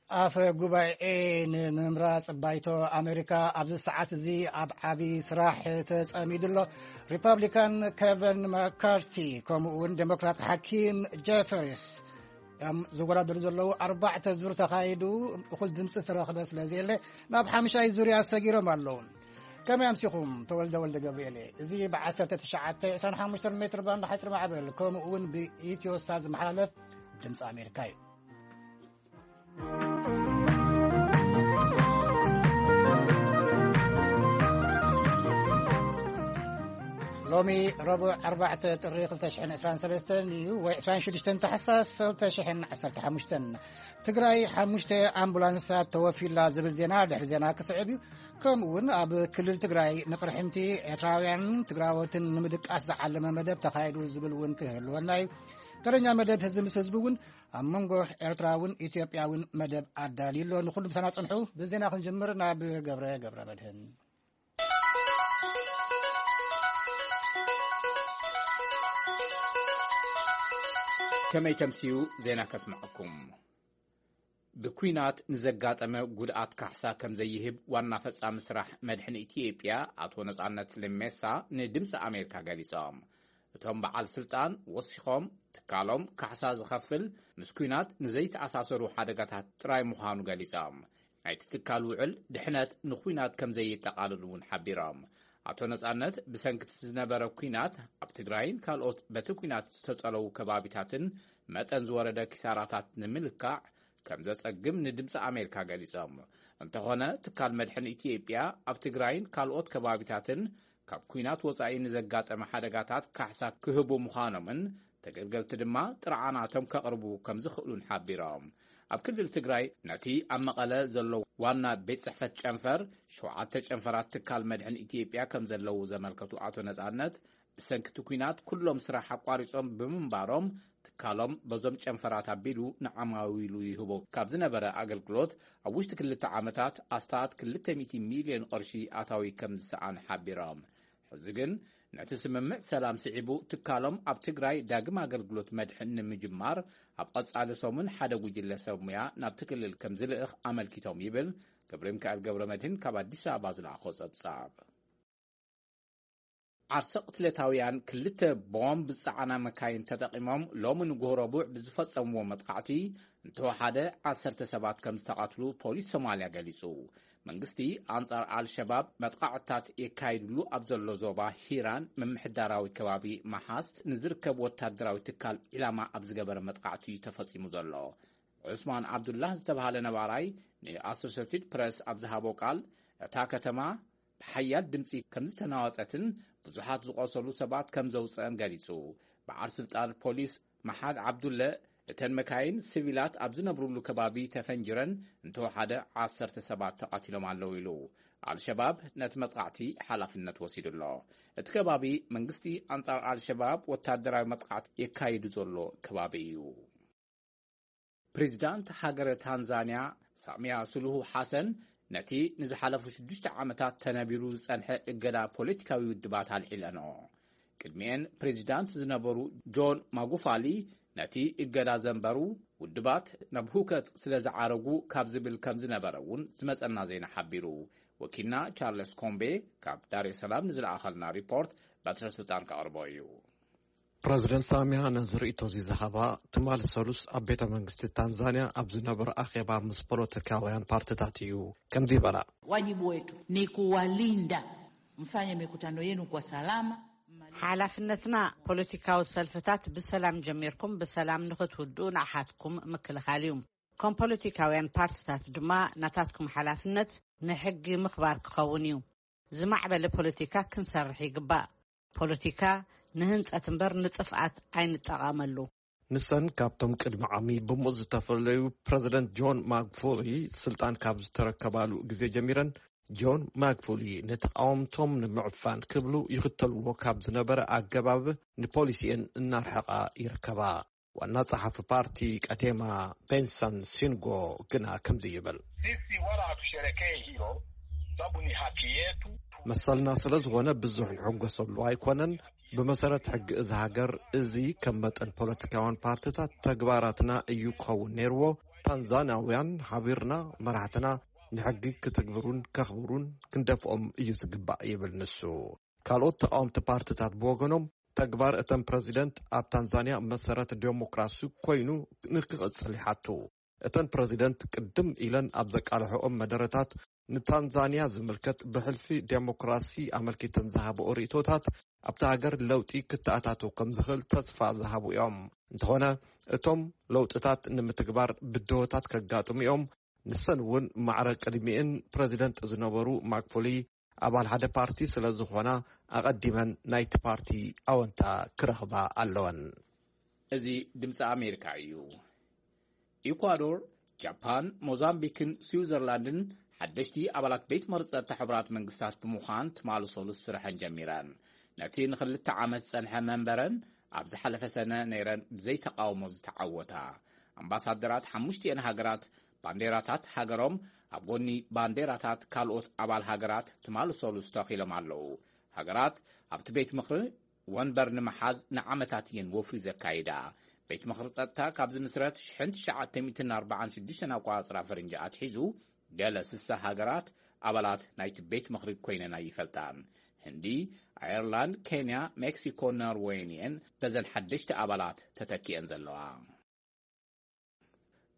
ኣፈ ጉባኤ ንምምራጽ ባይቶ ኣሜሪካ ኣብዚ ሰዓት እዚ ኣብ ዓቢ ስራሕ ተጸሚዱ ኣሎ። ሪፐብሊካን ኬቨን መካርቲ ከምኡ እውን ዴሞክራት ሓኪም ጀፈሪስ እዮም ዝወዳደሩ ዘለዉ። ኣርባዕተ ዙር ተኻይዱ እኹል ድምፂ ዝተረኽበ ስለ ዘየለ ናብ ሓምሻይ ዙርያ ሰጊሮም ኣለዉ። ከመይ ኣምሲኹም? ተወልደ ወልደ ገብርኤል እየ። እዚ ብ1925 ሜትር ባንድ ሓፂር ማዕበል ከምኡ እውን ብኢትዮ ሳት ዝመሓላለፍ ድምፂ ኣሜሪካ እዩ። ሎሚ ረቡዕ ኣርባዕተ ጥሪ ክልተ ሽሕን ዕስራን ሰለስተን እዩ፣ ወይ ዕስራን ሽዱሽተን ታሕሳስ ክልተ ሽሕን ዓሰርተ ሓሙሽተን። ትግራይ ሓሙሽተ ኣምቡላንሳት ተወፊላ ዝብል ዜና ድሕሪ ዜና ክስዕብ እዩ። ከምኡ እውን ኣብ ክልል ትግራይ ንቕርሕንቲ ኤርትራውያን ትግራዎትን ንምድቃስ ዝዓለመ መደብ ተኻይዱ ዝብል እውን ክህልወና እዩ። ተረኛ መደብ ህዝቢ ምስ ህዝቢ እውን ኣብ መንጎ ኤርትራውን ኢትዮጵያውን መደብ ኣዳልዩ ኣሎ። ንኹሉ ምሳና ጽንሑ። ብዜና ክንጅምር ናብ ገብረ ገብረ መድህን። ከመይ ተምስዩ ዜና ከስምዐኩም። ብኲናት ንዘጋጠመ ጉድኣት ካሕሳ ከም ዘይህብ ዋና ፈጻሚ ስራሕ መድሕን ኢትዮጵያ ኣቶ ነጻነት ለሜሳ ንድምፂ ኣሜሪካ ገሊጾም። እቶም በዓል ስልጣን ወሲኾም፣ ትካሎም ካሕሳ ዝኸፍል ምስ ኲናት ንዘይተኣሳሰሩ ሓደጋታት ጥራይ ምዃኑ ገሊጾም። ናይቲ ትካል ውዕል ድሕነት ንኲናት ከም ዘየጠቓልል እውን ሓቢሮም። ኣቶ ነጻነት ብሰንኪ ዝነበረ ኲናት ኣብ ትግራይን ካልኦት በቲ ኲናት ዝተጸለዉ ከባቢታትን መጠን ዝወረደ ኪሳራታት ንምልካዕ ከም ዘጸግም ንድምፂ ኣሜሪካ ገሊጾም። እንተኾነ ትካል መድሕን ኢትዮጵያ ኣብ ትግራይን ካልኦት ከባቢታትን ካብ ኲናት ወጻኢ ንዘጋጠመ ሓደጋታት ካሕሳ ክህቡ ምዃኖምን ተገልገልቲ ድማ ጥርዓናቶም ከቕርቡ ከም ዝኽእሉን ሓቢሮም። ኣብ ክልል ትግራይ ነቲ ኣብ መቐለ ዘሎ ዋና ቤት ጽሕፈት ጨንፈር ሸውዓተ ጨንፈራት ትካል መድሕን ኢትዮጵያ ከም ዘለዉ ዘመልከቱ ኣቶ ነጻነት፣ ብሰንኪ እቲ ኲናት ኩሎም ስራሕ ኣቋሪጾም ብምንባሮም፣ ትካሎም በዞም ጨንፈራት ኣቢሉ ንዓማዊሉ ይህቦ ካብ ዝነበረ ኣገልግሎት ኣብ ውሽጢ ክልተ ዓመታት ኣስታት ክልተ ሚእቲ ሚልዮን ቅርሺ ኣታዊ ከም ዝሰኣነ ሓቢሮም። ሕዚ ግን ነቲ ስምምዕ ሰላም ስዒቡ ትካሎም ኣብ ትግራይ ዳግም ኣገልግሎት መድሕን ንምጅማር ኣብ ቐጻሊ ሰሙን ሓደ ጉጅለ ሰብ ሙያ ናብቲ ክልል ከም ዝልእኽ ኣመልኪቶም ይብል ገብረ ሚካኤል ገብረ መድህን ካብ ኣዲስ ኣበባ ዝለኣኾ ጸብጻብ። ዓርሰ ቅትለታውያን ክልተ ቦምብ ዝጸዓና መካይን ተጠቒሞም ሎሚ ንግሆ ረቡዕ ብዝፈጸምዎ መጥቃዕቲ እንተወሓደ ዓሰርተ ሰባት ከም ዝተቐትሉ ፖሊስ ሶማልያ ገሊጹ። መንግስቲ ኣንጻር ኣልሸባብ መጥቃዕትታት የካይድሉ ኣብ ዘሎ ዞባ ሂራን ምምሕዳራዊ ከባቢ መሓስ ንዝርከብ ወታደራዊ ትካል ዒላማ ኣብ ዝገበረ መጥቃዕቲ እዩ ተፈጺሙ ዘሎ። ዑስማን ዓብዱላህ ዝተባህለ ነባራይ ንኣሶሴትድ ፕረስ ኣብ ዝሃቦ ቃል፣ እታ ከተማ ብሓያል ድምጺ ከም ዝተናወጸትን ብዙሓት ዝቖሰሉ ሰባት ከም ዘውጸአን ገሊጹ። በዓል ስልጣን ፖሊስ መሓድ ዓብዱለ፣ እተን መካይን ሲቪላት ኣብ ዝነብሩሉ ከባቢ ተፈንጅረን እንተወሓደ ዓሰርተ ሰባት ተቐቲሎም ኣለዉ ኢሉ። ኣልሸባብ ነቲ መጥቃዕቲ ሓላፍነት ወሲዱ ኣሎ። እቲ ከባቢ መንግስቲ ኣንጻር ኣልሸባብ ወታደራዊ መጥቃዕቲ የካይዱ ዘሎ ከባቢ እዩ። ፕሬዚዳንት ሃገረ ታንዛንያ ሳሚያ ሱሉሁ ሓሰን ነቲ ንዝሓለፉ ሽዱሽተ ዓመታት ተነቢሩ ዝጸንሐ እገዳ ፖለቲካዊ ውድባት ኣልዒለንኦ። ቅድሚኤን ፕሬዚዳንት ዝነበሩ ጆን ማጉፋሊ ነቲ እገዳ ዘንበሩ፣ ውድባት ናብ ሁከት ስለ ዝዓረጉ ካብ ዝብል ከም ዝነበረ እውን ዝመጸና ዜና ሓቢሩ። ወኪልና ቻርለስ ኮምቤ ካብ ዳሬ ሰላም ንዝለኣኸልና ሪፖርት በትረ ስልጣን ከቕርቦ እዩ። ፕረዚደንት ሳሚያ ነዚ ርእይቶ እዚ ዝሃባ ትማሊ ሰሉስ ኣብ ቤተ መንግስቲ ታንዛንያ ኣብ ዝነበረ ኣኼባ ምስ ፖለቲካውያን ፓርትታት እዩ። ከምዚ ይበላ። Wajibu wetu ni kuwalinda, mfanye mikutano yenu kwa salama. ሓላፍነትና ፖለቲካዊ ሰልፍታት ብሰላም ጀሚርኩም ብሰላም ንኽትውድኡ ንኣሓትኩም ምክልኻል እዩ። ከም ፖለቲካውያን ፓርትታት ድማ ናታትኩም ሓላፍነት ንሕጊ ምኽባር ክኸውን እዩ። ዝማዕበለ ፖለቲካ ክንሰርሕ ይግባእ። ፖለቲካ ንህንጸት እምበር ንጥፍኣት ኣይንጠቐመሉ። ንሰን ካብቶም ቅድሚ ዓሚ ብሙእ ዝተፈለዩ ፕረዚደንት ጆን ማግፉሊ ስልጣን ካብ ዝተረከባሉ ግዜ ጀሚረን፣ ጆን ማግፉሊ ንተቓወምቶም ንምዕፋን ክብሉ ይኽተልዎ ካብ ዝነበረ ኣገባብ ንፖሊሲኤን እናርሐቓ ይርከባ። ዋና ጸሓፊ ፓርቲ ቀቴማ ቤንሰን ሲንጎ ግና ከምዚ ይብል። Sisi wala hatusherekei hilo, sababu ni haki yetu. መሰልና ስለ ዝኾነ ብዙሕ ንሕጎሰሉ ኣይኮነን። ብመሰረት ሕጊ እዚ ሃገር፣ እዚ ከም መጠን ፖለቲካውያን ፓርትታት ተግባራትና እዩ ክኸውን ነይርዎ። ታንዛንያውያን ሓቢርና መራሕትና ንሕጊ ክትግብሩን ከኽብሩን ክንደፍኦም እዩ ዝግባእ ይብል ንሱ። ካልኦት ተቃወምቲ ፓርትታት ብወገኖም ተግባር እተን ፕረዚደንት ኣብ ታንዛንያ መሰረት ዴሞክራሲ ኮይኑ ንክቕጽል ይሓቱ። እተን ፕረዚደንት ቅድም ኢለን ኣብ ዘቃልሐኦም መደረታት ንታንዛንያ ዝምልከት ብሕልፊ ዴሞክራሲ ኣመልኪተን ዝሃብኦ ርእይቶታት ኣብታ ሃገር ለውጢ ክተኣታቶ ከም ዝኽእል ተስፋ ዝሃቡ እዮም። እንተኾነ እቶም ለውጥታት ንምትግባር ብድሆታት ከጋጥሙ እዮም። ንሰን እውን ማዕረ ቅድሚእን ፕረዚደንት ዝነበሩ ማክፎሊ ኣባል ሓደ ፓርቲ ስለ ዝኾና ኣቐዲመን ናይቲ ፓርቲ ኣወንታ ክረኽባ ኣለወን። እዚ ድምፂ ኣሜሪካ እዩ። ኢኳዶር፣ ጃፓን፣ ሞዛምቢክን ስዊዘርላንድን ሓደሽቲ ኣባላት ቤት መርፀ ሕቡራት መንግስታት ብምዃን ትማሊ ሰሉስ ስርሐን ጀሚረን። ነቲ ንክልተ ዓመት ዝጸንሐ መንበረን ኣብ ዝሓለፈ ሰነ ነይረን ብዘይተቃውሞ ዝተዓወታ ኣምባሳደራት ሓሙሽቲኤን ሃገራት ባንዴራታት ሃገሮም ኣብ ጎኒ ባንዴራታት ካልኦት ኣባል ሃገራት ትማሊ ሰሉስ ተኺሎም ኣለዉ። ሃገራት ኣብቲ ቤት ምኽሪ ወንበር ንምሓዝ ንዓመታት እየን ወፍሪ ዘካይዳ። ቤት ምኽሪ ጸጥታ ካብ ዝምስረት ሽሕን ትሽዓተ ሚእትን ኣርባዓን ሽዱሽተን ኣቆጻጽራ ፈረንጂ ኣትሒዙ ገለ ስሳ ሃገራት ኣባላት ናይቲ ቤት ምኽሪ ኮይነን ኣይፈልጣን። ህንዲ፣ ኣየርላንድ፣ ኬንያ፣ ሜክሲኮ፣ ኖርዌይን እየን በዘን ሓደሽቲ ኣባላት ተተኪኤን ዘለዋ።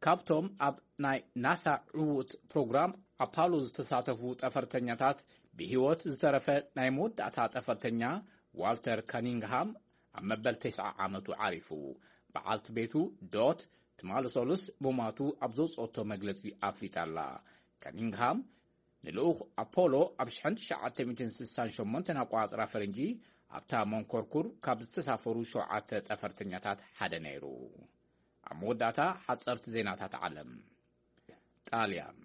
ካብቶም ኣብ ናይ ናሳ ዕዉት ፕሮግራም ኣፓሎ ዝተሳተፉ ጠፈርተኛታት ብህይወት ዝተረፈ ናይ መወዳእታ ጠፈርተኛ ዋልተር ካኒንግሃም ኣብ መበል ተስዓ ዓመቱ ዓሪፉ። በዓልቲ ቤቱ ዶት ትማሊ ሰሉስ ምሟቱ ኣብ ዘውፅኦቶ መግለፂ ኣፍሊጣ ኣላ። ካኒንግሃም ንልኡኽ ኣፖሎ ኣብ ሽሕን ትሽዓተ ሚእትን ስሳን ሸሞንተን ኣቆፃፅራ ፈረንጂ ኣብታ መንኮርኩር ካብ ዝተሳፈሩ ሸውዓተ ጠፈርተኛታት ሓደ ነይሩ። ኣብ መወዳእታ ሓፀርቲ ዜናታት ዓለም። ጣልያን።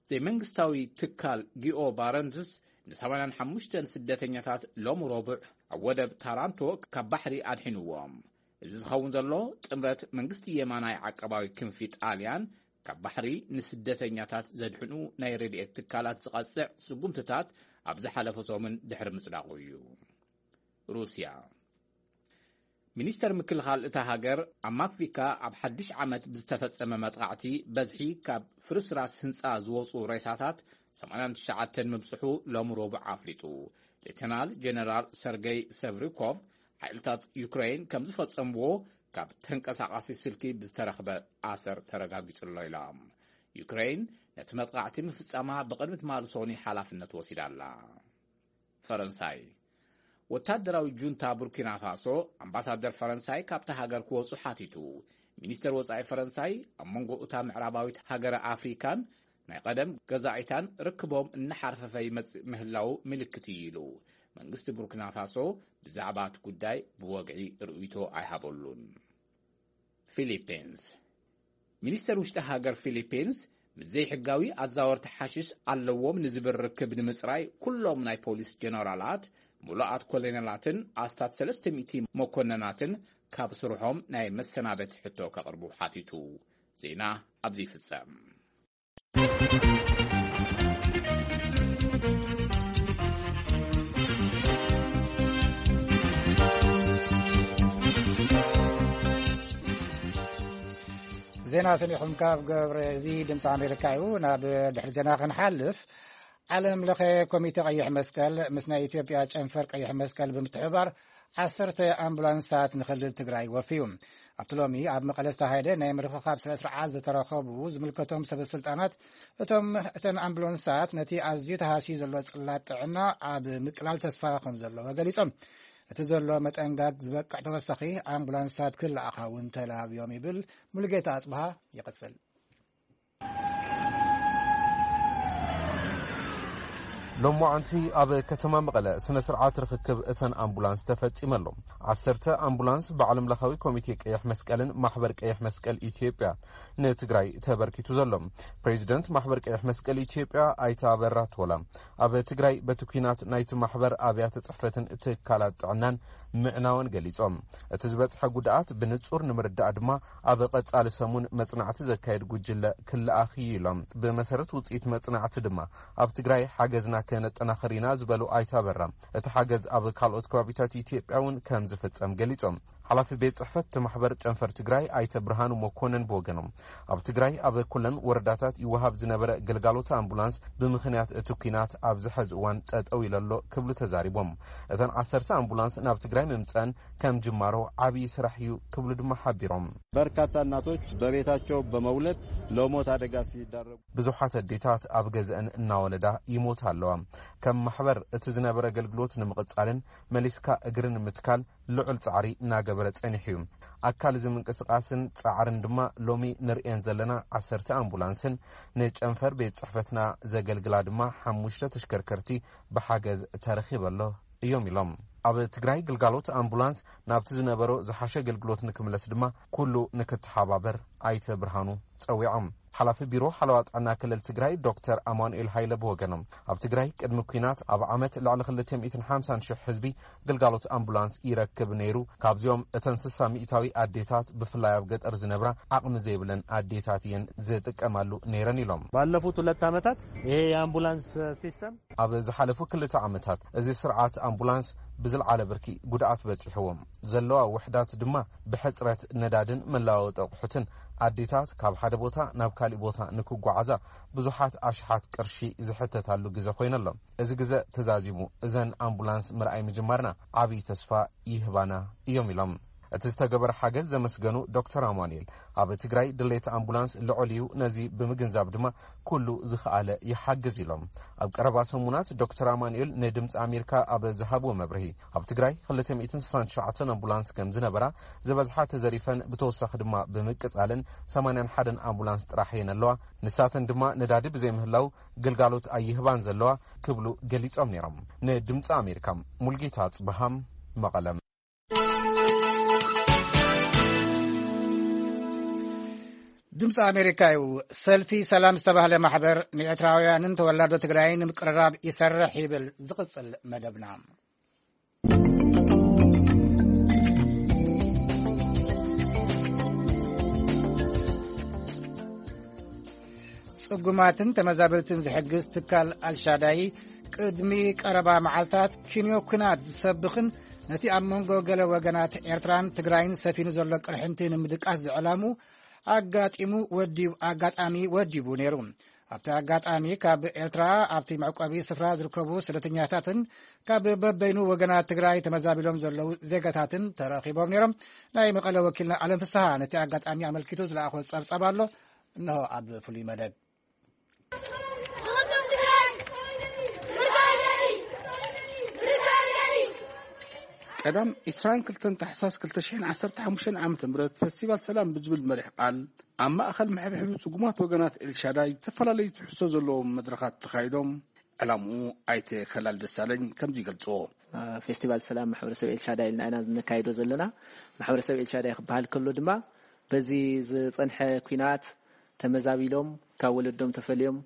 ዘይመንግስታዊ ትካል ጊኦ ባረንትስ ንሰማንያን ሓሙሽተን ስደተኛታት ሎም ረቡዕ ኣብ ወደብ ታራንቶ ካብ ባሕሪ ኣድሒንዎም። እዚ ዝኸውን ዘሎ ጥምረት መንግስቲ የማናይ ዓቀባዊ ክንፊ ጣልያን ካብ ባሕሪ ንስደተኛታት ዘድሕኑ ናይ ረድኤት ትካላት ዝቐጽዕ ስጉምትታት ኣብ ዝሓለፈ ሰሙን ድሕሪ ምጽዳቑ እዩ። ሩስያ። ሚኒስተር ምክልኻል እታ ሃገር ኣብ ማክቪካ ኣብ ሓድሽ ዓመት ብዝተፈጸመ መጥቓዕቲ በዝሒ ካብ ፍርስራስ ህንጻ ዝወጹ ሬሳታት ሰማንያን ትሽዓተን ምብጽሑ ሎም ረቡዕ ኣፍሊጡ። ሌተናል ጀነራል ሰርገይ ሰቭሪኮቭ ሓይልታት ዩክሬን ከም ዝፈጸምዎ ካብ ተንቀሳቓሲ ስልኪ ብዝተረኽበ ኣሰር ተረጋጊጹ ኣሎ ኢሎም። ዩክሬን ነቲ መጥቓዕቲ ምፍጻማ ብቕድሚ ትማሊ ሰኑይ ሓላፍነት ወሲዳ ኣላ። ፈረንሳይ። ወታደራዊ ጁንታ ቡርኪና ፋሶ ኣምባሳደር ፈረንሳይ ካብታ ሃገር ክወጹ ሓቲቱ። ሚኒስተር ወጻኢ ፈረንሳይ ኣብ መንጎ እታ ምዕራባዊት ሃገረ ኣፍሪካን ናይ ቀደም ገዛኢታን ርክቦም እናሓርፈፈ ይመጽእ ምህላው ምልክት እዩ ኢሉ። መንግስቲ ቡርኪና ፋሶ ብዛዕባ እቲ ጉዳይ ብወግዒ ርእይቶ ኣይሃበሉን። ፊሊፒንስ። ሚኒስተር ውሽጢ ሃገር ፊሊፒንስ ምስ ዘይሕጋዊ ኣዛወርቲ ሓሽሽ ኣለዎም ንዝብል ርክብ ንምጽራይ ኩሎም ናይ ፖሊስ ጀነራላት፣ ምሉኣት ኮሎኔላትን ኣስታት ሰለስተ ሚእቲ መኮነናትን ካብ ስርሖም ናይ መሰናበቲ ሕቶ ከቕርቡ ሓቲቱ። ዜና ኣብዚ ይፍጸም። ዜና ሰሚዕኹም ካብ ገብረ፣ እዚ ድምፂ ኣሜሪካ እዩ። ናብ ድሕሪ ዜና ክንሓልፍ፣ ዓለም ለኸ ኮሚቴ ቀይሕ መስቀል ምስ ናይ ኢትዮጵያ ጨንፈር ቀይሕ መስቀል ብምትሕብባር ዓሰርተ ኣምቡላንሳት ንክልል ትግራይ ወፍዩ። ኣብቲ ሎሚ ኣብ መቐለ ዝተኻየደ ናይ ምርኽኻብ ስነ ስርዓት ዝተረኸቡ ዝምልከቶም ሰበ ስልጣናት፣ እቶም እተን ኣምቡላንሳት ነቲ ኣዝዩ ተሃስዩ ዘሎ ጽላት ጥዕና ኣብ ምቅላል ተስፋ ከም ዘለዎ ገሊጾም። እቲ ዘሎ መጠንጋግ ዝበቅዕ ተወሳኺ ኣምቡላንሳት ክለኣኻ እውን ተላብዮም ይብል። ሙሉጌታ ኣጽብሃ ይቕጽል። ሎማዓንቲ ኣብ ከተማ መቐለ ስነ ስርዓት ርኽክብ እተን ኣምቡላንስ ተፈጺመ ኣሎ። ዓሰርተ ኣምቡላንስ ብዓለም ለኻዊ ኮሚቴ ቀይሕ መስቀልን ማሕበር ቀይሕ መስቀል ኢትዮጵያ ንትግራይ ተበርኪቱ ዘሎ። ፕሬዚደንት ማሕበር ቀይሕ መስቀል ኢትዮጵያ ኣይተ ኣበራ ቶላ ኣብ ትግራይ በቲ ኲናት ናይቲ ማሕበር ኣብያተ ጽሕፈትን ትካላት ጥዕናን ምዕናወን ገሊጾም። እቲ ዝበጽሐ ጉድኣት ብንጹር ንምርዳእ ድማ ኣብ ቀጻሊ ሰሙን መጽናዕቲ ዘካየድ ጉጅለ ክለኣኽ እዩ ኢሎም። ብመሰረት ውጽኢት መጽናዕቲ ድማ ኣብ ትግራይ ሓገዝና ከነጠናኽር ኢና ዝበሉ ኣይተ ኣበራ፣ እቲ ሓገዝ ኣብ ካልኦት ከባቢታት ኢትዮጵያ እውን ከም ዝፍጸም ገሊጾም። ሓላፊ ቤት ጽሕፈት እቲ ማሕበር ጨንፈር ትግራይ ኣይተ ብርሃኑ መኮነን ብወገኖም፣ ኣብ ትግራይ ኣብ ኩለን ወረዳታት ይወሃብ ዝነበረ ግልጋሎት ኣምቡላንስ ብምኽንያት እቲ ኲናት ኣብዚ ሐዚ እዋን ጠጠው ኢሉ ኣሎ ክብሉ ተዛሪቦም። እተን ዓሰርተ ኣምቡላንስ ናብ ትግራይ ምምፀን ከም ጅማሮ ዓብዪ ስራሕ እዩ ክብሉ ድማ ሓቢሮም። በርካታ እናቶች በቤታቸው በመውለድ ለሞት አደጋ ሲዳረጉ ብዙሓት ኣዴታት ኣብ ገዝአን እናወለዳ ይሞታ ኣለዋ። ከም ማሕበር እቲ ዝነበረ ኣገልግሎት ንምቕጻልን መሊስካ እግሪ ንምትካል ልዑል ጻዕሪ እናገበረ ጸኒሑ እዩ። ኣካል እዚ ምንቅስቃስን ጻዕርን ድማ ሎሚ ንርእየን ዘለና ዓሰርተ ኣምቡላንስን ንጨንፈር ቤት ጽሕፈትና ዘገልግላ ድማ ሓሙሽተ ተሽከርከርቲ ብሓገዝ ተረኺበ ኣሎ እዮም ኢሎም። ኣብ ትግራይ ግልጋሎት ኣምቡላንስ ናብቲ ዝነበሮ ዝሓሸ ኣገልግሎት ንክምለስ ድማ ኩሉ ንክተሓባበር ኣይተ ብርሃኑ ጸዊዖም። ሓላፊ ቢሮ ሓለዋ ጥዕና ክልል ትግራይ ዶክተር ኣማኑኤል ሃይለ ብወገኖም፣ ኣብ ትግራይ ቅድሚ ኲናት ኣብ ዓመት ልዕሊ ክልተ ሚእትን ሓምሳን ሽሕ ህዝቢ ግልጋሎት ኣምቡላንስ ይረክብ ነይሩ። ካብዚኦም እተን ስሳ ሚእታዊ ኣዴታት ብፍላይ ኣብ ገጠር ዝነብራ ዓቕሚ ዘይብለን ኣዴታት እየን ዝጥቀማሉ ነይረን ኢሎም። ባለፉት ሁለት ዓመታት ይሄ የአምቡላንስ ሲስተም ኣብ ዝሓለፉ ክልተ ዓመታት እዚ ስርዓት ኣምቡላንስ ብዝለዓለ ብርኪ ጉድኣት በጺሕዎም። ዘለዋ ውሕዳት ድማ ብሕጽረት ነዳድን መለዋወጢ ኣቑሑትን ኣዴታት ካብ ሓደ ቦታ ናብ ካሊእ ቦታ ንክጓዓዛ ብዙሓት ኣሽሓት ቅርሺ ዝሕተታሉ ግዘ ኮይነሎም። እዚ ግዘ ተዛዚሙ እዘን ኣምቡላንስ ምርኣይ ምጅማርና ዓብዪ ተስፋ ይህባና እዮም ኢሎም። እቲ ዝተገበረ ሓገዝ ዘመስገኑ ዶክተር ኣማኑኤል፣ ኣብ ትግራይ ድሌት ኣምቡላንስ ልዑል እዩ፣ ነዚ ብምግንዛብ ድማ ኩሉ ዝኸኣለ ይሓግዝ ኢሎም። ኣብ ቀረባ ሰሙናት ዶክተር ኣማኑኤል ንድምፂ ኣሜሪካ ኣብ ዝሃብዎ መብርሂ፣ ኣብ ትግራይ ክልተ ሚእትን ስሳን ትሽዓተን ኣምቡላንስ ከም ዝነበራ፣ ዝበዝሓ ተዘሪፈን ብተወሳኺ ድማ ብምቅፃልን ሰማንያን ሓደን ኣምቡላንስ ጥራሕ እየን ኣለዋ፣ ንሳተን ድማ ነዳዲ ብዘይምህላው ግልጋሎት ኣይህባን ዘለዋ ክብሉ ገሊፆም ነይሮም። ንድምፂ ኣሜሪካ ሙልጌታ ጽብሃም መቐለም። ድምፂ ኣሜሪካ እዩ። ሰልፊ ሰላም ዝተባህለ ማሕበር ንኤርትራውያንን ተወላዶ ትግራይን ንምቅርራብ ይሰርሕ ይብል። ዝቕጽል መደብና። ጽጉማትን ተመዛበልትን ዝሕግዝ ትካል ኣልሻዳይ ቅድሚ ቀረባ መዓልታት ኪንዮ ኲናት ዝሰብኽን ነቲ ኣብ መንጎ ገለ ወገናት ኤርትራን ትግራይን ሰፊኑ ዘሎ ቅርሕንቲ ንምድቃስ ዝዕላሙ ኣጋጢሙ ወዲቡ ኣጋጣሚ ወዲቡ ነይሩ። ኣብቲ ኣጋጣሚ ካብ ኤርትራ ኣብቲ መዕቆቢ ስፍራ ዝርከቡ ስደተኛታትን ካብ በበይኑ ወገናት ትግራይ ተመዛቢሎም ዘለዉ ዜጋታትን ተረኺቦም ነይሮም። ናይ መቐለ ወኪልና ኣለም ፍስሃ ነቲ ኣጋጣሚ ኣመልኪቱ ዝለኣኾ ጸብጻብ ኣሎ። እንሆ ኣብ ፍሉይ መደብ። ቀዳም ዕስራን ክልተን ታሕሳስ ክልተ ሽሕን ዓሰርተ ሓሙሽተን ዓመተ ምህረት ፈስቲቫል ሰላም ብዝብል መሪሕ ቃል ኣብ ማእኸል መሐብሐቢ ጽጉማት ወገናት ኤልሻዳይ ዝተፈላለዩ ትሕዝቶ ዘለዎም መድረኻት ተኻይዶም። ዕላምኡ ኣይተ ከላል ደሳለኝ ከምዚ ይገልጽዎ። ፌስቲቫል ሰላም ማሕበረሰብ ኤልሻዳይ ኢልና ኢና ነካይዶ ዘለና። ማሕበረሰብ ኤልሻዳይ ክበሃል ከሎ ድማ በዚ ዝጸንሐ ኲናት ተመዛቢሎም ካብ ወለዶም ተፈልዮም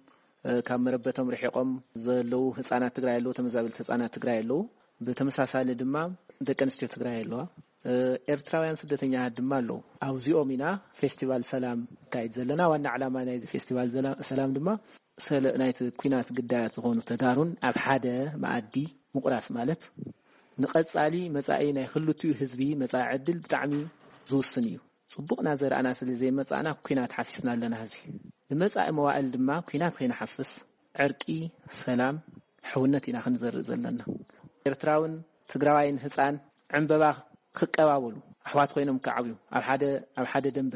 ካብ መረበቶም ርሒቖም ዘለዉ ህጻናት ትግራይ ኣለዉ፣ ተመዛበልቲ ህጻናት ትግራይ ኣለዉ። ብተመሳሳሊ ድማ ደቂ ኣንስትዮ ትግራይ ኣለዋ። ኤርትራውያን ስደተኛታት ድማ ኣለዉ። ኣብዚኦም ኢና ፌስቲቫል ሰላም ካይድ ዘለና። ዋና ዕላማ ናይዚ ፌስቲቫል ዘላ- ሰላም ድማ ሰለ ናይቲ ኲናት ግዳያት ዝኾኑ ተጋሩን ኣብ ሓደ መኣዲ ምቑራስ ማለት ንቐጻሊ መጻኢ ናይ ክልቲኡ ህዝቢ መጻኢ ዕድል ብጣዕሚ ዝውስን እዩ። ጽቡቕና ዘረኣና ስለ ዘይመጻእና ኲናት ሓፊስና ኣለና። ሕዚ ንመጻኢ መዋእል ድማ ኲናት ከይንሓፍስ ዕርቂ፣ ሰላም፣ ሕውነት ኢና ክንዘርእ ዘለና። ኤርትራውን ትግራዋይን ህጻን ዕምበባ ክቀባበሉ ኣሕዋት ኮይኖም ክዓብዩ ኣብ ሓደ ኣብ ሓደ ደንበ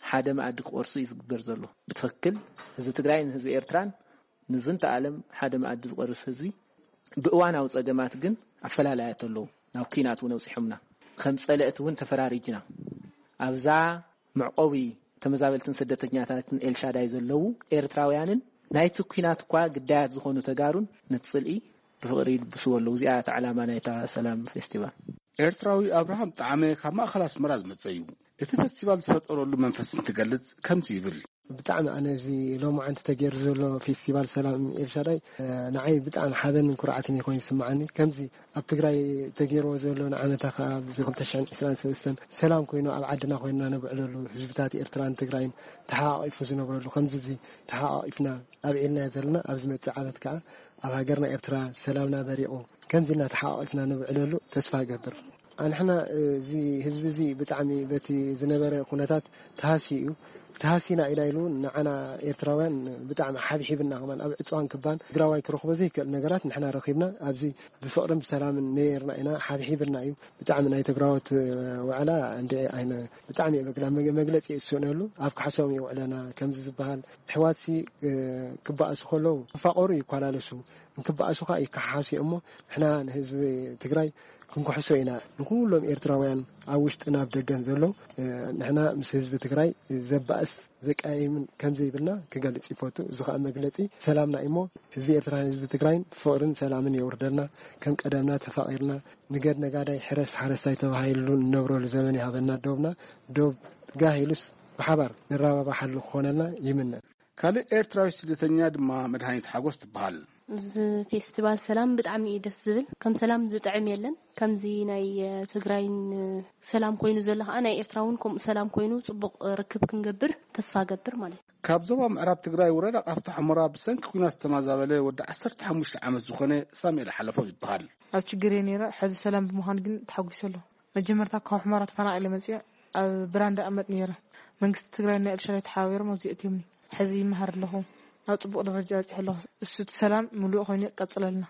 ሓደ መኣዲ ክቆርሱ እዩ ዝግበር ዘሎ። ብትኽክል ህዝቢ ትግራይን ህዝቢ ኤርትራን ንዝንተ ዓለም ሓደ መኣዲ ዝቆርስ ህዝቢ ብእዋናዊ ጸገማት ግን ኣፈላላያት ኣለዉ። ናብ ኲናት እውን ኣውጺሖምና። ከም ጸለእቲ እውን ተፈራሪጅና። ኣብዛ መዕቆቢ ተመዛበልትን ስደተኛታትን ኤልሻዳይ ዘለዉ ኤርትራውያንን ናይቲ ኲናት እኳ ግዳያት ዝኾኑ ተጋሩን ነቲ ጽልኢ ብፍቕሪ ይልብስዎ ኣለዉ። እዚኣ እታ ዕላማ ናይታ ሰላም ፌስቲቫል። ኤርትራዊ ኣብርሃም ጣዕመ ካብ ማእኸል ኣስመራ ዝመጸ እዩ። እቲ ፈስቲቫል ዝፈጠረሉ መንፈስ እንትገልጽ ከምዚ ይብል። ብጣዕሚ ኣነ እዚ ሎማዓንቲ ተገይሩ ዘሎ ፌስቲቫል ሰላም ኤልሻዳይ፣ እ፣ ንዓይ ብጣዕሚ ሓበንን ኩርዓትን እዩ ኮይኑ ዝስምዓኒ። ከምዚ ኣብ ትግራይ ተገይርዎ ዘሎ ንዓመታ ከኣ ኣብዚ ክልተ ሽሕን ዕስራን ሰለስተን ሰላም ኮይኑ ኣብ ዓድና ኮይንና ነብዕለሉ ህዝብታት ኤርትራን ትግራይን ተሓቋቒፉ ዝነብረሉ ከምዚ እዚ ተሓቋቒፍና ኣብዒልናዮ ዘለና ኣብ ዝመጽእ ዓመት ከኣ ኣብ ሃገርና ኤርትራ ሰላምና በሪቑ ከምዚ ኢልና ተሓቋቒፍና ነብዕለሉ ተስፋ እገብር። ኣንሕና እዚ ህዝቢ እዚ ብጣዕሚ በቲ ዝነበረ ኩነታት ተሃስዩ እዩ። ተሃሲና ኢና ኢሉ ንዓና ኤርትራውያን ብጣዕሚ ሓብሒብና፣ ከማን ኣብ ዕፅዋን ክባን ትግራዋይ ክረኽቦ ዘይክእል ነገራት ንሕና ረኺብና ኣብዚ ብፍቕርን ብሰላምን ነየርና ኢና። ሓብሒብና እዩ። ብጣዕሚ ናይ ትግራዎት ዋዕላ እንደ ኣይነ ብጣዕሚ እየ መግላ- መግለፂ እየ ዝስእነሉ። ኣብ ካሕሶም እዩ ውዕለና ከምዚ ዝበሃል። ኣሕዋትሲ ክበኣሱ ከለዉ ክፋቐሩ ይኳላለሱ፣ እንክበኣሱ ከዓ ይከሓሓሱ እዮም። እሞ ንሕና ንህዝቢ ትግራይ ክንክሕሶ ኢና። ንኩሎም ኤርትራውያን ኣብ ውሽጥን ኣብ ደገን ዘሎ ንሕና ምስ ህዝቢ ትግራይ ዘባእስ ዘቀያይምን ከምዘይብልና ክገልጽ ይፈቱ። እዚ ከዓ መግለጺ ሰላምና እዩ። እሞ ህዝቢ ኤርትራን ህዝቢ ትግራይን ፍቕርን ሰላምን የውርደልና። ከም ቀደምና ተፋቒርና ንገድ ነጋዳይ ሕረስ ሓረስታይ ተባሂሉ ንነብረሉ ዘመን ይሃበና። ዶብና ዶብ ጋህ ኢሉስ ብሓባር ንራባባሓሉ ክኾነልና ይምነ። ካልእ ኤርትራዊ ስደተኛ ድማ መድሃኒት ሓጎስ ትበሃል። እዚ ፌስቲቫል ሰላም ብጣዕሚ እዩ ደስ ዝብል። ከም ሰላም ዝጥዕም የለን። ከምዚ ናይ ትግራይን ሰላም ኮይኑ ዘሎ ከዓ ናይ ኤርትራ እውን ከምኡ ሰላም ኮይኑ ፅቡቕ ርክብ ክንገብር ተስፋ ገብር ማለት እዩ። ካብ ዞባ ምዕራብ ትግራይ ወረዳ ቃፍታ ሑመራ ብሰንኪ ኲናት ዝተማዛበለ ወዲ ዓሰርተ ሓሙሽተ ዓመት ዝኾነ ሳሙኤል ሓለፎም ይበሃል። ኣብ ችግር እየ ነይረ። ሕዚ ሰላም ብምዃኑ ግን ተሓጒሰ ኣለኹ። መጀመርታ ካብ ሑመራ ተፈናቒለ መፅየ ኣብ ብራንዳ እቐመጥ ነይረ። መንግስቲ ትግራይ ናይ ኤልሻዳይ ተሓባቢሮም ኣብዚ ኣእትዮምኒ። ሕዚ ይመሃር ኣለኹ። ናብ ፅቡቕ ደረጃ በፂሐ ኣለኹ። እሱ እቲ ሰላም ምሉእ ኮይኑ ይቀፅለልና።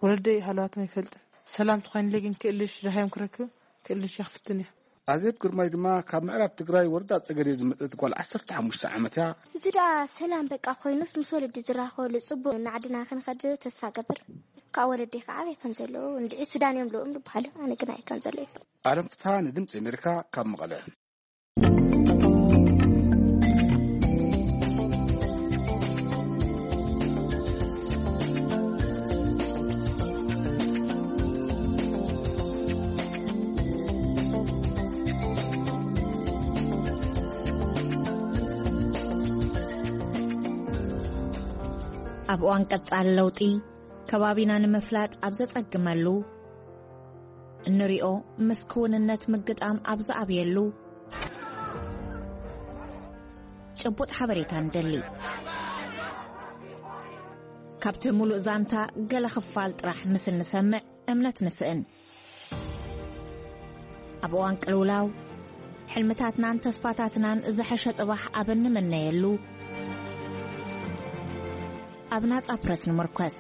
ወለደይ ሃለዋቶም ኣይፈልጥን። ሰላም ተኾይኑለይ ግን ክእልሽ ድሃዮም ክረክብ ክእልሽ እየ ክፍትን እየ። ኣዜብ ግርማይ ድማ ካብ ምዕራብ ትግራይ ወረዳ ፀገዴ ዝመፀት ጓል ዓሰርተ ሓሙሽተ ዓመት እያ። እዚ ደኣ ሰላም በቃ ኮይኑስ ምስ ወለዲ ዝራኸበሉ ፅቡቅ ንዓድና ክንኸድ ተስፋ ገብር። ካብ ወለዲ ከዓ ኣበይ ከም ዘለዉ እንድዒ ሱዳን እዮም ልኡም ዝበሃሉ ኣነ ግን ኣይ ከም ዘሎ እዩ። ኣለም ፍትሃ ንድምፂ ኣሜሪካ ካብ መቐለ። ኣብ እዋን ቀጻሊ ለውጢ ከባቢና ንምፍላጥ ኣብ ዘጸግመሉ፣ እንሪኦ ምስ ክውንነት ምግጣም ኣብ ዝኣብየሉ፣ ጭቡጥ ሓበሬታ ንደሊ። ካብቲ ሙሉእ ዛንታ ገለ ክፋል ጥራሕ ምስ እንሰምዕ እምነት ንስእን። ኣብ እዋን ቅልውላው፣ ሕልምታትናን ተስፋታትናን ዝሐሸ ጽባሕ ኣብ እንምነየሉ፣ ኣብ ናጻ ፕረስ ንምርኮስ።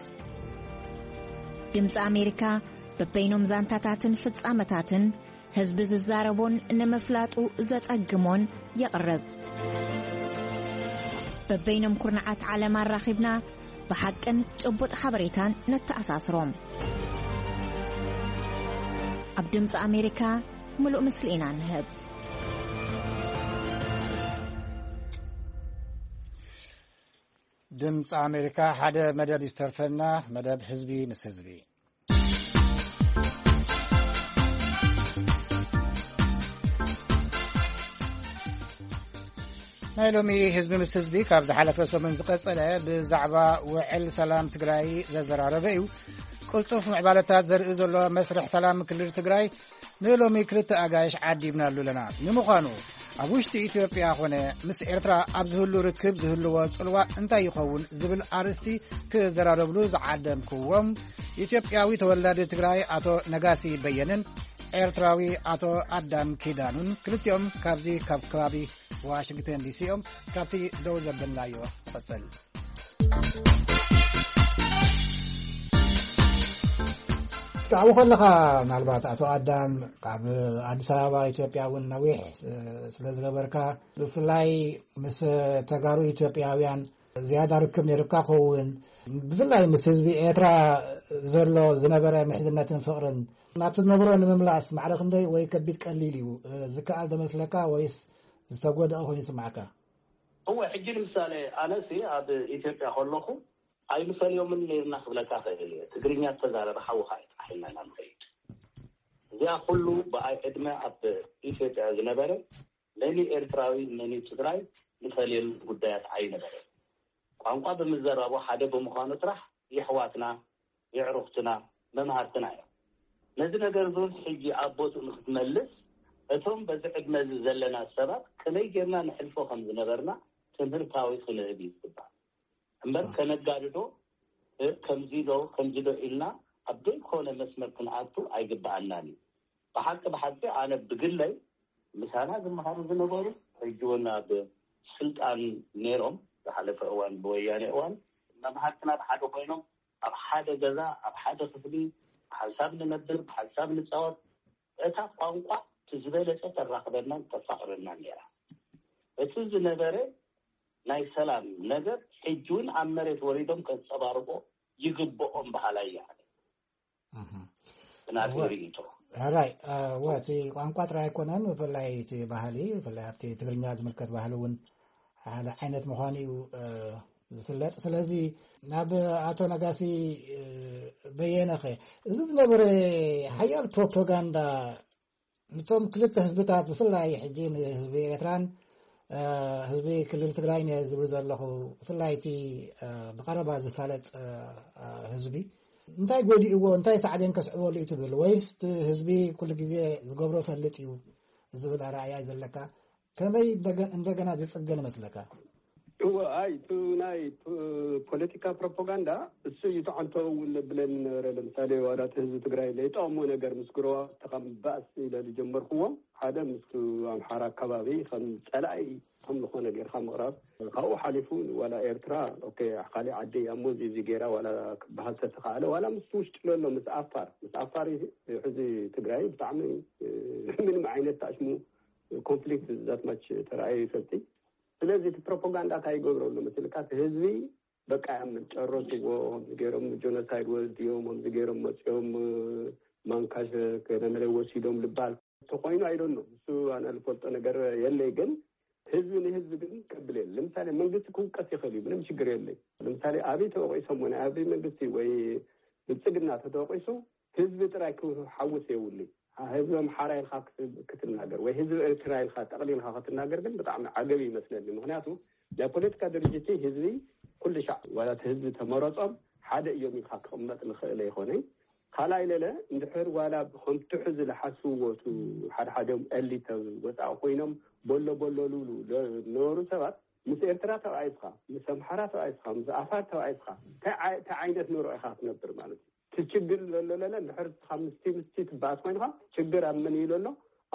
ድምጺ ኣሜሪካ በበይኖም ዛንታታትን ፍጻመታትን ህዝቢ ዝዛረቦን ንምፍላጡ ዘጸግሞን የቕርብ። በበይኖም ኩርናዓት ዓለም ኣራኺብና ብሓቅን ጭቡጥ ሓበሬታን ነተኣሳስሮም። ኣብ ድምፂ ኣሜሪካ ምሉእ ምስሊ ኢና ንህብ። ድምፂ ኣሜሪካ ሓደ መደብ እዩ ዝተርፈና፣ መደብ ህዝቢ ምስ ህዝቢ። ናይ ሎሚ ህዝቢ ምስ ህዝቢ ካብ ዝሓለፈ ሰሙን ዝቐጸለ ብዛዕባ ውዕል ሰላም ትግራይ ዘዘራረበ እዩ። ቅልጡፍ ምዕባለታት ዘርኢ ዘሎ መስርሕ ሰላም ክልል ትግራይ ንሎሚ ክልተ ኣጋይሽ ዓዲብናሉ ኣለና። ንምዃኑ ኣብ ውሽጢ ኢትዮጵያ ኾነ ምስ ኤርትራ ኣብ ዝህሉ ርክብ ዝህልዎ ጽልዋ እንታይ ይኸውን ዝብል ኣርእስቲ ክዘራረብሉ ዝዓደምክዎም ኢትዮጵያዊ ተወላዲ ትግራይ ኣቶ ነጋሲ በየነን ኤርትራዊ ኣቶ ኣዳም ኪዳኑን ክልቲኦም ካብዚ ካብ ከባቢ ዋሽንግተን ዲሲ እዮም። ካብቲ ደው ዘበልናዮ ንቐጽል። እስኪ ኣብኡ ከለኻ ምናልባት ኣቶ ኣዳም ኣብ ኣዲስ ኣበባ ኢትዮጵያ እውን ነዊሕ ስለ ዝገበርካ ብፍላይ ምስ ተጋሩ ኢትዮጵያውያን ዝያዳ ርክብ ነይሩካ ክኸውን ብፍላይ ምስ ህዝቢ ኤርትራ ዘሎ ዝነበረ ምሕዝነትን ፍቕርን ናብቲ ዝነበሮ ንምምላስ ማዕረ ክንደይ ወይ ከቢድ ቀሊል እዩ ዝከኣል ደመስለካ ወይስ ዝተጎደኣ ኮይኑ ይስምዓካ? እወ፣ ሕጂ ንምሳሌ ኣነሲ ኣብ ኢትዮጵያ ከለኹ ኣይንፈልዮምን ነይርና ክብለካ ክእል እየ። ትግርኛ ዝተዛረበ ሓውኻ እዩ ጥራሕ ኢልና ኢና ንኸይድ። እዚኣ ኩሉ ብኣይ ዕድመ ኣብ ኢትዮጵያ ዝነበረ መኒ ኤርትራዊ መኒ ትግራይ ንፈልየሉ ጉዳያት ኣይነበረን። ቋንቋ ብምዘራቡ ሓደ ብምዃኑ ጥራሕ የሕዋትና፣ የዕሩኽትና፣ መምሃርትና እዮም። ነዚ ነገር እውን ሕጂ ኣብ ቦትኡ ንክትመልስ እቶም በዚ ዕድመ እዚ ዘለና ሰባት ከመይ ጌርና ንሕልፎ ከም ዝነበርና ትምህርታዊ ክንህብ እዩ ዝግባእ እምበር ከነጋድዶ ከምዚ ዶ ከምዚ ዶ ኢልና ኣብ ዘይኮነ መስመር ክንኣቱ ኣይግባኣናን እዩ። ብሓቂ ብሓቂ ኣነ ብግለይ ምሳና ዝመሃሩ ዝነበሩ ሕጂ እውን ኣብ ስልጣን ነይሮም ዝሓለፈ እዋን ብወያኔ እዋን መምሃርትና ብሓደ ኮይኖም ኣብ ሓደ ገዛ ኣብ ሓደ ክፍሊ ብሓንሳብ ንነብር ብሓንሳብ ንፃወት። እታ ቋንቋ እቲ ዝበለፀ ተራኽበናን ተፋቕረናን ነይራ። እቲ ዝነበረ ናይ ሰላም ነገር ሕጂ እውን ኣብ መሬት ወሪዶም ከንፀባርቆ ይግብኦም በሃላይ እየ ኣነ። ብናተይ ርእይቶ። ሕራይ። እወ፣ እቲ ቋንቋ ጥራይ ኣይኮነን፣ ብፍላይ እቲ ባህሊ፣ ብፍላይ ኣብቲ ትግርኛ ዝምልከት ባህሊ እውን ሓደ ዓይነት ምዃኑ እዩ ዝፍለጥ። ስለዚ ናብ ኣቶ ነጋሲ በየነኸ፣ እዚ ዝነበረ ሓያል ፕሮፓጋንዳ ነቶም ክልተ ህዝብታት፣ ብፍላይ ሕጂ ንህዝቢ ኤርትራን ህዝቢ ክልል ትግራይን እየ ዝብል ዘለኹ፣ ብፍላይ እቲ ብቐረባ ዝፋለጥ ህዝቢ፣ እንታይ ጎዲእዎ፣ እንታይ ሳዕቤን ከስዕበሉ እዩ ትብል? ወይስ እቲ ህዝቢ ኩሉ ግዜ ዝገብሮ ፈልጥ እዩ ዝብል ኣረኣእያ እዩ ዘለካ? ከመይ እንደገና ዝጽገን መስለካ? እወ፣ ኣይ፣ እቲ ናይ ፖለቲካ ፕሮፓጋንዳ እሱ እዩ ተዓንቶ እውን ነብለኒ ነበረ። ለምሳሌ ዋላ እቲ ህዝቢ ትግራይ ለይጠቕሞ ነገር ምስ ግረዋ ተኸም ባእስ ኢለ ዝጀመርክዎም ሓደ ምስቱ ኣምሓራ ኣካባቢ ከም ፀላኢ ከም ዝኾነ ጌርካ ምቕራብ። ካብኡ ሓሊፉ ዋላ ኤርትራ ኦኬ፣ ካሊእ ዓዲ እያ እሞ እዚ እዚ ጌራ ዋላ ክበሃል ተተኻእለ ዋላ ምስ ውሽጢ ለሎ ምስ ኣፋር ምስ ኣፋር ሕዚ ትግራይ ብጣዕሚ ምንም ዓይነት ታሽሙ ኮንፍሊክት ዛት ማች ተረኣዩ ይፈልጥ። ስለዚህ እቲ ፕሮፓጋንዳ እንታይ ይገብረሉ መስልካ? እቲ ህዝቢ በቃ ያምን ጨረስዎ፣ ከምዚ ገይሮም ጆኖሳይድ ወልድዮም፣ ከምዚ ገይሮም መፅኦም ማንካሽ ከነመለ ወሲዶም ልባል ተኮይኑ ኣይደኖ እሱ ኣነ ልፈልጦ ነገር የለይ። ግን ህዝቢ ንህዝቢ ግን ከብል የለ። ለምሳሌ መንግስቲ ክውቀስ ይኽእል እዩ፣ ምንም ችግር የለይ። ለምሳሌ ኣብይ ተወቂሶም ወይ ኣብይ መንግስቲ ወይ ብልፅግና ተተወቂሱ ህዝቢ ጥራይ ክሓውስ የብሉ። ህዝቢ ኣምሓራ ኢልካ ክትናገር ወይ ህዝቢ ኤርትራ ኢልካ ጠቕሊልካ ክትናገር ግን ብጣዕሚ ዓገብ ይመስለኒ። ምክንያቱ ናይ ፖለቲካ ድርጅት ህዝቢ ኩሉ ሻዕ ዋላ እቲ ህዝቢ ተመረጾም ሓደ እዮም ኢልካ ክቕመጥ ንኽእል ኣይኮነይ። ካልኣይ ለለ እንድሕር ዋላ ከምቲ ሕዚ ዝሓስብዎ እቲ ሓደ ሓደም ኤሊት ወፃኢ ኮይኖም በሎ በሎ ልብሉ ነበሩ ሰባት ምስ ኤርትራ ተባኢስካ ምስ ኣምሓራ ተባኢስካ ምስ ኣፋር ተባኢስካ እንታይ ዓይነት ኑሮ ኢኻ ክትነብር ማለት እዩ? እቲ ችግር ዘሎ ለለ እንድሕር ንስኻ ምስቲ ምስቲ ትበኣስ ኮይንካ ችግር ኣብ መን እዩ ዘሎ?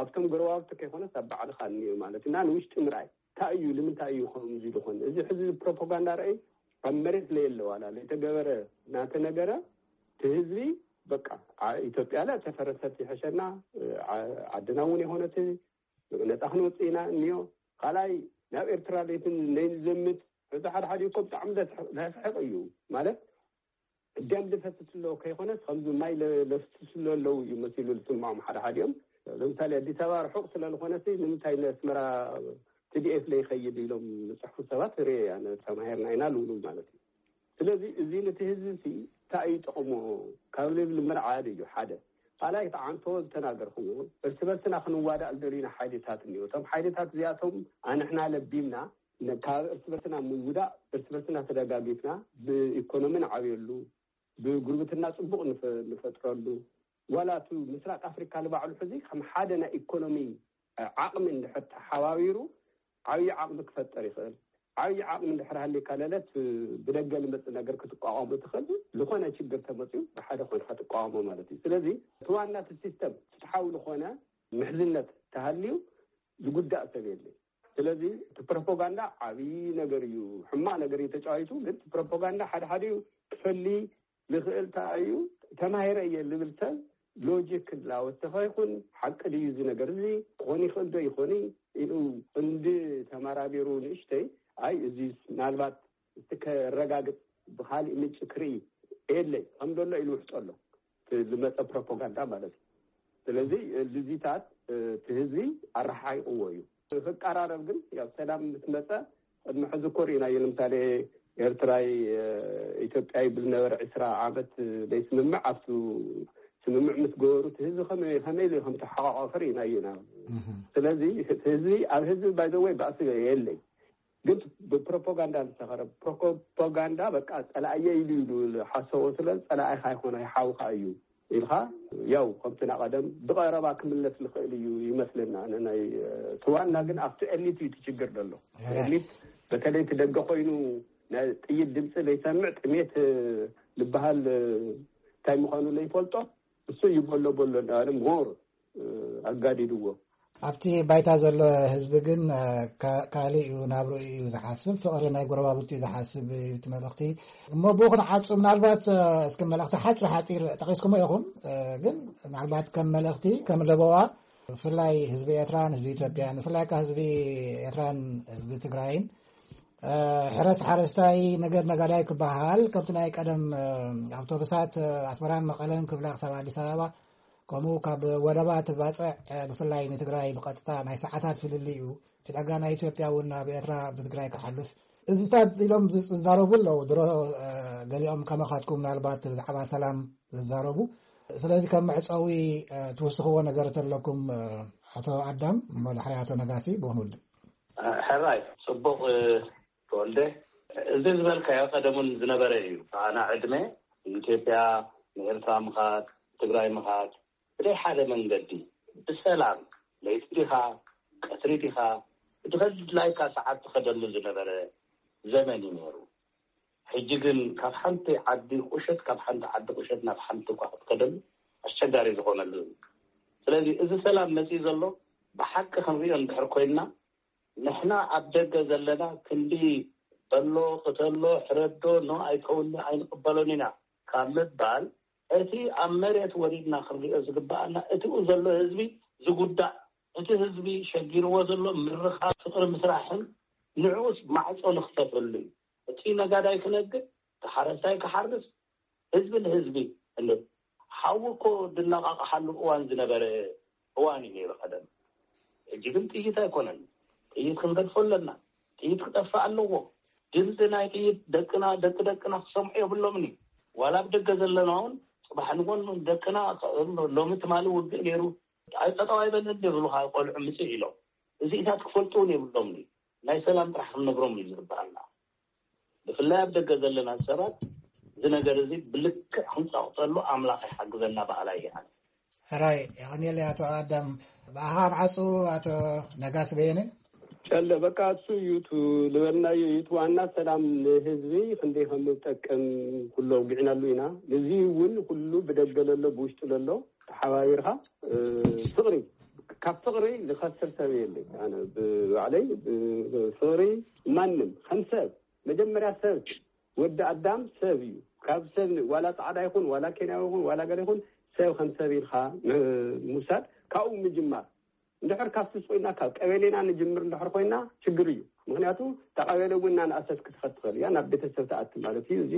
ኣብቶም ጎረባብቲ ከይኮነስ ኣብ ባዕልኻ እኒኦ ማለት እና ንውሽጢ ምርኣይ እንታይ እዩ ንምንታይ እዩ ከምዚ ዝኾን እዚ ሕዚ ፕሮፓጋንዳ ርኣይ ኣብ መሬት ለየለ ዋላ ለይተገበረ ናተነገረ እቲ ህዝቢ በቃ ኢትዮጵያ ለ ተፈረሰት ይሐሸና ዓድና እውን የሆነት ነፃ ክንወፅእ ኢና እኒኦ ካልኣይ ናብ ኤርትራ ለይትን ለይንዘምት እዚ ሓደ ሓደ እኮ ብጣዕሚ ለስሕቅ እዩ ማለት ደም ዝፈስስ ኣለዎ ከይኮነስ ከምዚ ማይ ለፍስስ ኣለዉ እዩ መሲሉ ዝስምዖም ሓደ ሓዲኦም። ለምሳሌ ኣዲስ ኣበባ ርሑቕ ስለ ዝኾነ ንምንታይ ንኣስመራ ቲዲኤፍ ለይኸይድ ኢሎም ዝፅሕፉ ሰባት ርኤ ኣነ ተማሂርና ኢና ልብሉ ማለት እዩ። ስለዚ እዚ ነቲ ህዝቢ ሲ እንታይ እዩ ጥቕሙ ካብ ልብል ምርዓድ እዩ ሓደ። ካልኣይ ተዓንቶ ዝተናገርክዎ እርስ በርስና ክንዋዳእ ዝደልዩና ሓይልታት እኒኦ። እቶም ሓይልታት እዚኣቶም ኣንሕና ለቢምና ካብ እርስ በርስና ምውዳእ እርስ በርስና ተደጋጊፍና ብኢኮኖሚ ንዓብየሉ ብጉርብትና ፅቡቕ ንፈጥረሉ ዋላ እቲ ምስራቅ ኣፍሪካ ንባዕሉ ሕዚ ከም ሓደ ናይ ኢኮኖሚ ዓቕሚ እንድሕር ተሓባቢሩ ዓብዪ ዓቕሚ ክፈጠር ይኽእል። ዓብዪ ዓቕሚ እንድሕር ሃሊካ ለለት ብደገ ልመፅእ ነገር ክትቋቋሙ ትኽእል ዝኾነ ችግር ተመፅኡ ብሓደ ኮይንካ ትቋቋሞ ማለት እዩ። ስለዚ እቲ ዋና እቲ ሲስተም ፍትሓዊ ዝኾነ ምሕዝነት ተሃልዩ ዝጉዳእ ሰብ የለን። ስለዚ እቲ ፕሮፓጋንዳ ዓብዪ ነገር እዩ፣ ሕማቕ ነገር እዩ ተጫዋይቱ። ግን እቲ ፕሮፓጋንዳ ሓደ ሓደ ክፈሊ ዝኽእል እንታይ እዩ ተማሂረ እየ ዝብል ሰብ ሎጂክ ክላወስ ተኸይኩን ሓቂ ድዩ እዚ ነገር እዚ ክኾን ይኽእል ዶ ይኾን ኢሉ እንዲ ተመራቢሩ ንእሽተይ ኣይ እዚ ምናልባት እቲ ከረጋግፅ ብካሊእ ምንጪ ክርኢ የለይ ከም ዘሎ ኢሉ ውሕጦ ኣሎ ዝመፀ ፕሮፓጋንዳ ማለት እዩ። ስለዚ ልዚታት እቲ ህዝቢ ኣረሓይቕዎ እዩ። ክቀራረብ ግን ያው ሰላም ምስ መፀ ቅድሚ ሕዚ እኮ ርኢናዮ። ንምሳሌ ኤርትራይ ኢትዮጵያ ይብል ነበረ ዕስራ ዓመት ዘይስምምዕ ኣብቱ ስምምዕ ምስ ገበሩ እቲ ህዝቢ ከመይ ከመይ ኢሉ ከም ተሓቋቋፈ ርኢናዮ ኢና። ስለዚ ህዝቢ ኣብ ህዝቢ ባይዘወይ ባእሲ የለይ ግን ብፕሮፓጋንዳ ዝተኸረ ፕሮፓጋንዳ በቃ ፀላእየ ኢሉ ኢሉ ሓሰቦ ስለ ፀላእኻ ይኮነ ሓውካ እዩ ኢልካ ያው ከምቲ ናቀደም ብቀረባ ክምለስ ዝኽእል እዩ ይመስለና። ናይ ትዋና ግን ኣብቲ ኤሊት እዩ ትችግር ዘሎ። ኤሊት በተለይ ትደገ ኮይኑ ናይ ጥይት ድምፂ ዘይሰምዕ ጥሜት ዝበሃል እንታይ ምዃኑ ዘይፈልጦ እሱ እዩ በሎ በሎ እንዳበለ ሞር ኣጋዲድዎ። ኣብቲ ባይታ ዘሎ ህዝቢ ግን ካልእ እዩ፣ ናብርኡ እዩ ዝሓስብ፣ ፍቕሪ ናይ ጎረባብቱ እዩ ዝሓስብ እዩ እቲ መልእኽቲ። እሞ ብኡ ክንዓጹ ምናልባት እስኪ መልእኽቲ ሓጺር ሓጺር ጠቒስኩሞ ኢኹም፣ ግን ምናልባት ከም መልእኽቲ ከም ለበዋ ብፍላይ ህዝቢ ኤርትራን ህዝቢ ኢትዮጵያን ብፍላይ ከኣ ህዝቢ ኤርትራን ህዝቢ ትግራይን ሕረስ ሓረስታይ ነገር ነጋዳይ ክበሃል ከምቲ ናይ ቀደም ኣውቶቡሳት ኣስመራን መቐለን ክብላ ክሳብ ኣዲስ ኣበባ ከምኡ ካብ ወደባት ባጽዕ ብፍላይ ንትግራይ ብቐጥታ ናይ ሰዓታት ፍልልይ እዩ። እቲ ዳጋ ናይ ኢትዮጵያ እውን ናብ ኤርትራ ብትግራይ ክሓልፍ እዚታት ኢሎም ዝዛረቡ ኣለዉ። ድሮ ገሊኦም ከማኻትኩም ምናልባት ብዛዕባ ሰላም ዝዛረቡ። ስለዚ ከም መዕጸዊ ትውስኽዎ ነገር ተለኩም ኣቶ ኣዳም እሞ ድሕሪ ኣቶ ነጋሲ ብንውድእ። ሕራይ ጽቡቕ ተወልደ፣ እዚ ዝበልካዮ ቀደሙን ዝነበረ እዩ። ኣና ዕድመ ንኢትዮጵያ ንኤርትራ ምኻድ ትግራይ ምኻድ ብደይ ሓደ መንገዲ ብሰላም ለይቲ ዲኻ ቀትሪ ዲኻ ብድኸድላይካ ሰዓት ትኸደሉ ዝነበረ ዘመን እዩ ነይሩ። ሕጂ ግን ካብ ሓንቲ ዓዲ ቁሸት ካብ ሓንቲ ዓዲ ቁሸት ናብ ሓንቲ እኳ ክትከደሉ ኣስቸጋሪ ዝኾነሉ እዩ። ስለዚ እዚ ሰላም መፅእ ዘሎ ብሓቂ ክንሪኦ እንድሕር ኮይንና ንሕና ኣብ ደገ ዘለና ክንዲ በሎ ቅተሎ ሕረዶ ኖ ኣይከውኒ ኣይንቅበሎን ኢና ካብ ምባል እቲ ኣብ መሬት ወሪድና ክንሪኦ ዝግበኣና እቲኡ ዘሎ ህዝቢ ዝጉዳእ እቲ ህዝቢ ሸጊርዎ ዘሎ ምርኻብ ፍቅሪ ምስራሕን ንዕኡስ ማዕፆ ንክፈተሉ እዩ። እቲ ነጋዳይ ክነግድ እቲ ሓረስታይ ክሓርስ ህዝቢ ንህዝቢ እንደ ሓዊ እኮ ድነቃቃሓሉ እዋን ዝነበረ እዋን እዩ ነይሩ ቀደም። ሕጂ ግን ጥይት ኣይኮነን። ጥይት ክንገድፎ ኣለና። ጥይት ክጠፍእ ኣለዎ። ድምፂ ናይ ጥይት ደቅና ደቂ ደቅና ክሰምዑ የብሎምን እዩ። ዋላ ኣብ ደገ ዘለና እውን ፅባሕ ንጎን ደቅና ሎሚ ትማሊ ውግእ ነይሩ ኣይጠጠው ኣይበልን ይብሉካ ቆልዑ ምፅእ ኢሎም እዚኢታት ክፈልጡ እውን የብሎምን እዩ። ናይ ሰላም ጥራሕ ክንነግሮም እዩ ዝግበኣና። ብፍላይ ኣብ ደገ ዘለና ሰባት እዚ ነገር እዚ ብልክዕ ክንፀቕጠሉ ኣምላኽ ይሓግዘና በሃላይ እየ ኣነ። ሕራይ የቐንየለይ ኣቶ ኣዳም። ብኣኻ ኣብ ዓፁ ኣቶ ነጋሲ በየነ። ጨለ በቃ እሱ እዩ እቲ ዝበልናዮ እዩ እቲ ዋና ሰላም ንህዝቢ ክንደይ ከም ዝጠቅም ኩሉ ኣውጊዕናሉ ኢና። እዚ እውን ኩሉ ብደገ ለሎ ብውሽጢ ለሎ ተሓባቢርካ ፍቕሪ ካብ ፍቕሪ ዝኸስር ሰብ የለይ። ኣነ ብባዕለይ ፍቕሪ ማንም ከም ሰብ መጀመርያ ሰብ ወዲ ኣዳም ሰብ እዩ። ካብ ሰብ ዋላ ፃዕዳ ይኹን ዋላ ኬንያዊ ይኹን ዋላ ገለ ይኹን ሰብ ከም ሰብ ኢልካ ምውሳድ ካብኡ ምጅማር እንድሕር ካብ ስስቑ ኢልና ካብ ቀበሌና ንጅምር እንድሕር ኮይና ችግር እዩ። ምክንያቱ እታ ቀበሌ እውን እናንኣሰት ክትኸድ ትኽእል እያ ናብ ቤተሰብ ትኣቲ ማለት እዩ። እዚ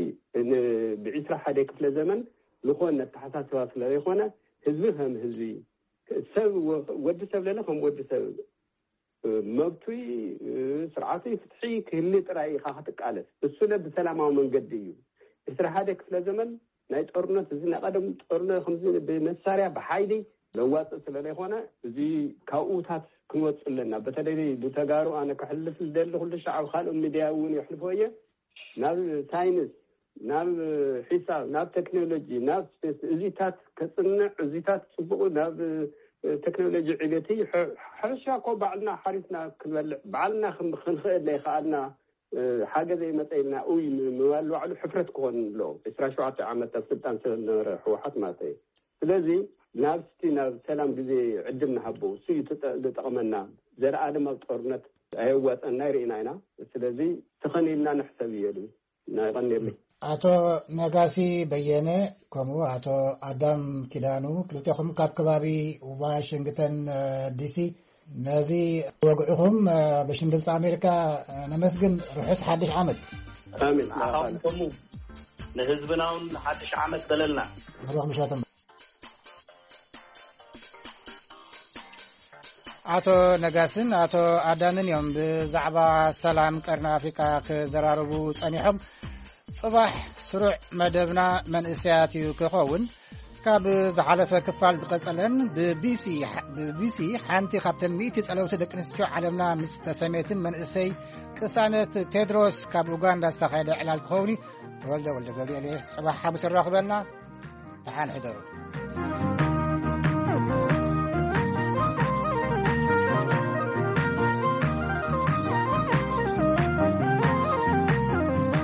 ብዒስራ ሓደ ክፍለ ዘመን ዝኾን ኣተሓሳስባ ስለ ዘይኮነ ህዝቢ ከም ህዝቢ ሰብ ወዲ ሰብ ለለ ከም ወዲ ሰብ መብቱይ ስርዓቱይ ፍትሒ ክህሊ ጥራይ ኢኻ ክትቃለስ። እሱለ ብሰላማዊ መንገዲ እዩ። ዕስራ ሓደ ክፍለ ዘመን ናይ ጦርነት እዚ ናይ ቀደም ጦርነት ከምዚ ብመሳርያ ብሓይሊ ለዋፅእ ስለ ዘይኮነ እዚ ካብኡታት ክንወፅ ኣለና። በተለይ ብተጋሩ ኣነ ክሕልፍ ዝደሊ ኩሉ ሻዕ ኣብ ካልኦ ሚድያ እውን የሕልፎ እየ ናብ ሳይንስ ናብ ሒሳብ ናብ ቴክኖሎጂ ናብ ስፔስ እዚታት ከፅንዕ እዚታት ፅቡቁ ናብ ቴክኖሎጂ ዕቤት ሕርሻ እኮ ባዕልና ሓሪስና ክንበልዕ ባዕልና ክንክእል ዘይከኣልና ሓገዘ ይመፀ ኢልና ኡይ ምባል ባዕሉ ሕፍረት ክኾን ኣለዎ። ዕስራ ሸውዓተ ዓመት ኣብ ስልጣን ስለዝነበረ ህወሓት ማለት እዩ። ስለዚ ናብ ስቲ ናብ ሰላም ግዜ ዕድል ንሃቦ እሱ እዩ ዝጠቕመና። ዘለኣለም ኣብ ጦርነት ኣየዋፀና ይርኢና ኢና። ስለዚ ተኸን ኢልና ንሕሰብ እየሉ ናይ ቀኒርኒ። ኣቶ ነጋሲ በየነ ከምኡ ኣቶ ኣዳም ኪዳኑ ክልቴኹም ካብ ከባቢ ዋሽንግተን ዲሲ ነዚ ወግዕኹም ብሽም ድምፂ ኣሜሪካ ነመስግን። ርሑስ ሓድሽ ዓመት። ኣሜን። ንዓኻትኩም ንህዝብና እውን ሓድሽ ዓመት በለልና። ብሩኽ ምሸት። ኣቶ ነጋስን ኣቶ ኣዳምን እዮም ብዛዕባ ሰላም ቀርኒ ኣፍሪቃ ክዘራረቡ ጸኒሖም። ጽባሕ ስሩዕ መደብና መንእሰያት እዩ ክኸውን። ካብ ዝሓለፈ ክፋል ዝቐጸለን ብቢሲ ሓንቲ ካብተን ሚእቲ ጸለውቲ ደቂ ኣንስትዮ ዓለምና ምስ ተሰሜትን መንእሰይ ቅሳነት ቴድሮስ ካብ ኡጋንዳ ዝተኻየደ ዕላል ክኸውን እዩ። ተወልደ ወልደ ገብርኤል እየ። ጽባሕ ሓሙስ ይራኽበና። ደሓን ሕደሩ።